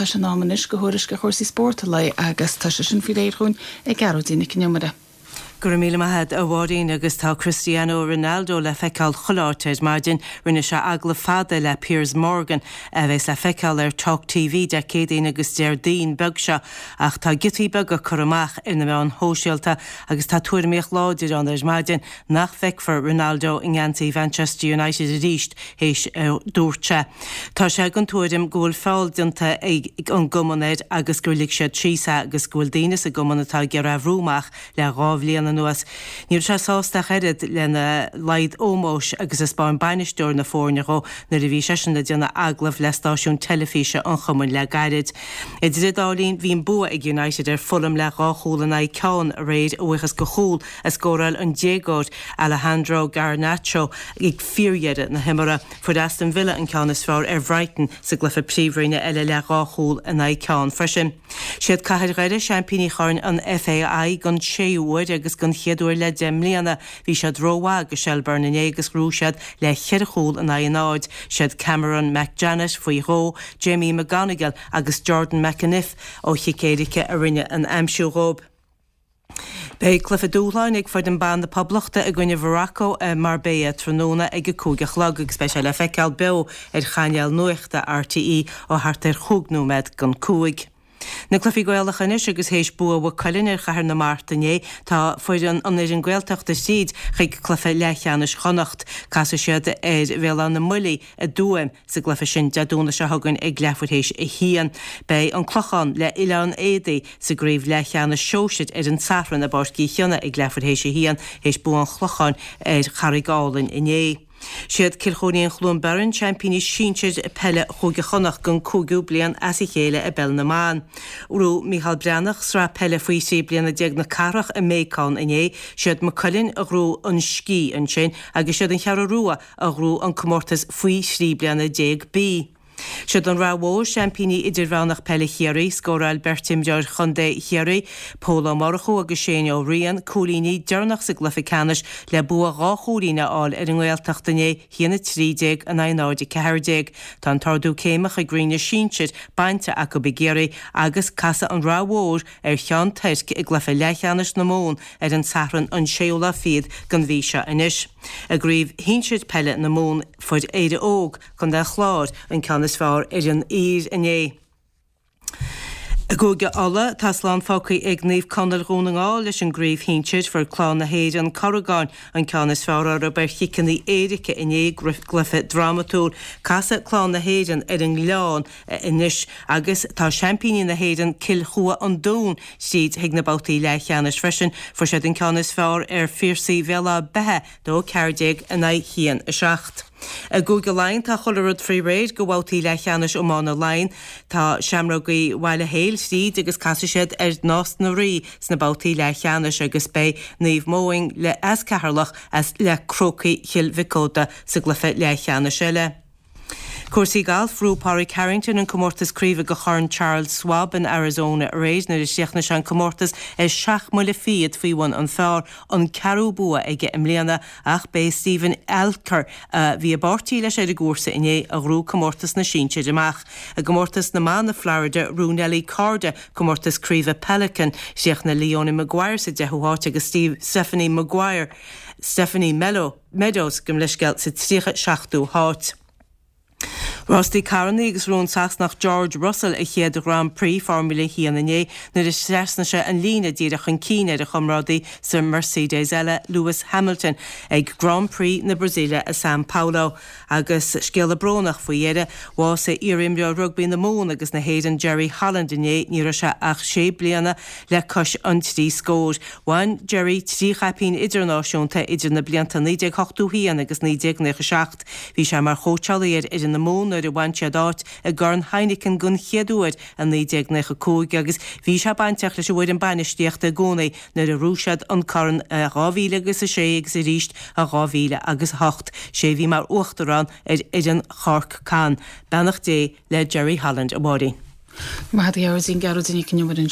tá sé in am anois do thuairisc ar chúrsaí spóirt an lae agus tá sé sin faoi réir dhúinn ag Gearóidín Nic an Iomaire. Go raibh míle maith a't, a Mháirín, agus tá Cristiano Ronaldo le feiceáil chuile áit ar maidin. Rinne sé agallamh fada le Piers Morgan, a bheas le feiceáil ar Talk TV Dé Céadaoin agus Déardaoin beag seo, ach tá giotaí beaga curtha amach ar na meáin shóisialta agus tá tuairimíocht láidir ann ar maidin nach bhfeicfear Ronaldo i ngeansaí Mhanchester United arís théis a dúirt sé. Tá sé den tuairim go bhfuil feall déanta ag an gcumann air agus gur lig siad síos é agus go bhfuil daoine sa gcumann atá ag iarraidh é a bhrú amach le 2 bhliain anuas. Ní raibh sé sásta ach oiread lena laghad ómóis agus a 'spáin bainisteoir na foirne dhó nuair a bhí seisean ag déanamh agallamh le stáisiún teilifíse an chumainn le gairid. Idir an dá linn bhí an bua ag United ar Fulham le 2 chúl in aghaidh ceann aréir a bhuíochas do chúl a scóráil an déagóir Alejandro Garnacho ag fíordheireadh na himeartha. Fuair Aston Villa an ceann is fearr ar Bhrighton sa gcluiche Príomhroinne eile le 2 chúl in aghaidh ceann freisin. Siad Cathair Dhoire seaimpíní Chorn an FAI don séú huair agus don chéad uair le 10 mbliana. Bhí siad rómhaith do Shelbourne inné agus ghnóthaigh siad le cheithre chúl in aghaidh a náid. Siad Cameron McJannet faoi dhó, Jamie McGonigle agus Jordan McEneff ó chic éirice a rinne an aimsiú dhóibh. Beidh cluiche dúshláin ag foireann ban na Poblachta i gcoinne Mhorocco i Marbella tráthnóna ag a 5 a chlog agus beidh sé le feiceáil beo ar chainéal nuachta RTÉ ó thart ar chúig nóiméad don 5. Na cluichí Gaelacha anois agus théis bua Mhaigh Cuilinn ar Chathair na Mart inné tá foireann an fhoireann Gaeltachta tríd chuig cluiche leathcheannais Chonnacht. Casfaidh siad ar Bhéal Átha na mBuillí i dTuaim Sa gcluiche sin Dé Domhnaigh seo chugainn ag leathuair théis a haon, beidh An Clochán le Oileán Éadaí sa gcraobh leathcheannais sóisir ar an Satharn i bPáirc Uí Chionnaith ag leathuair théis a haon théis bua an Chlocháin ar Charraig Álainn inné. Siad Cill Chóinín Chluain Bheirn seaimpíní sinsir peile Chúige Chonnacht don cúigiú bliain as a chéile i bPeil na mBan. Ghnóthaigh Micheál Breathnach sraith peile faoi thrí bliana déag na cathrach i mBéacán inné. Siad Maigh Cuilinn a ghnóthaigh an sciath ansin agus siad an Cheathrú Rua a ghnóthaigh an comórtas faoi 13 bliana B. Siad an Rath Mhór seaimpíní idirmheánach peile Chiarraí. Scóráil beirt imreoir chontae Chiarraí, Pól Ó Murchú agus Shane Ó Riain, cúilíní deireanach sa gcluiche ceannais le bua 2 chúilín a fháil ar an nGaeltacht inné, 1-13 in aghaidh 0-14. Tá an t-ardú céime chuig Roinn na Sinsir bainte acu i gCiarraí agus casfaidh an Rath Mhór ar Cheann Toirc i gcluiche leathcheannais na Mumhan ar an Satharn an séú lá fichead den mhí seo anois. I gcraobh shinsir peile na Mumhan fuair Éire Óg, Contae an Chláir, an ceann is fearr ar an Uidhir inné. I gCúige Uladh, tá slán fágtha ag Naomh Conaill Dhún na nGall leis an gcraobh shinsir. Fuair Clann na hÉireann, Corragán, an ceann is fearr orthu ar chiceanna éirice inné i gcluiche drámatúil. Casfaidh Clann na hÉireann ar an nGleann anois agus tá seaimpíní na hÉireann Cill Chua An Dúin tríd chuig na babhtaí leathcheannais freisin. Fuair siad an ceann is fearr ar Phiarsaigh Bhéal Átha Beithe, 2-14 in aghaidh 1-7. I gCúige Laighean tá chuile rud faoi réir do bhabhtaí leathcheannais iomána Laighean. Tá Seamrógaí Bhaile Héil tríd agus casfaidh siad ar Nás na Rí sna babhtaí leathcheannais agus beidh Naomh Moing le as Ceatharlach as le Crócaigh Chill Mhic Óda sa gcluiche leathcheannais eile. Cúrsaí gailf, Ghnóthaigh Pádraig Harrington an comórtas craoibhe do Chorn Charles Schwab in Arizona aréir nuair a chríochnaigh sé an comórtas ar sheacht mbuille fichead faoi bhun an phar, an ceathrú bua aige i mbliana ach b'é Steven Alker, a bhí i bpáirtí leis ar an gcúrsa inné, a ghnóthaigh comórtas na sinsear amach. I gcomórtas na mban i Florida, ghnóthaigh Nelly Korda comórtas craoibhe Pelican. Chríochnaigh Leonie Maguire sa deichiú háit agus Stephanie Maguire, Stephanie Melo, Meadows, gabh mo leithscéal, sa 37ú háit. Rástaí carrannaí agus ghnóthaigh an Sasanach George Russell a chéad Grand Prix Formula 1 inné nuair a thrasnaigh sé an líne díreach chun cinn ar a chomrádaí sa Mercedes eile, Lewis Hamilton, ag Grand Prix na Brasaíle i San Paulo. Agus scéala brónach faoi dheireadh, bhásaigh iar-imreoir rugbaí na Mumhan agus na hÉireann Jerry Holland inné, ní raibh sé ach sé bliana le cois an trí scóir. Bhain Jerry 3 chaipín idirnáisiúnta idir na blianta 1981 agus 1997. Bhí sé mar chóitseálaí ar fhoireann na Mumhan nuair a bhain siad áit i gCorn Heineken den chéad uair i 1995 agus bhí sé bainteach leis an bhfoireann bainistíochta i gcónaí nuair a ghnóthaigh siad an corn i 2006 agus arís i 2008. Sé a bhí mar uachtarán ar fhoireann Chorc Con. Beannacht Dé le Jerry Holland, a Mháirín. Maith thú a Ghearóidín, Gearóidín Nic an Iomaire ansin.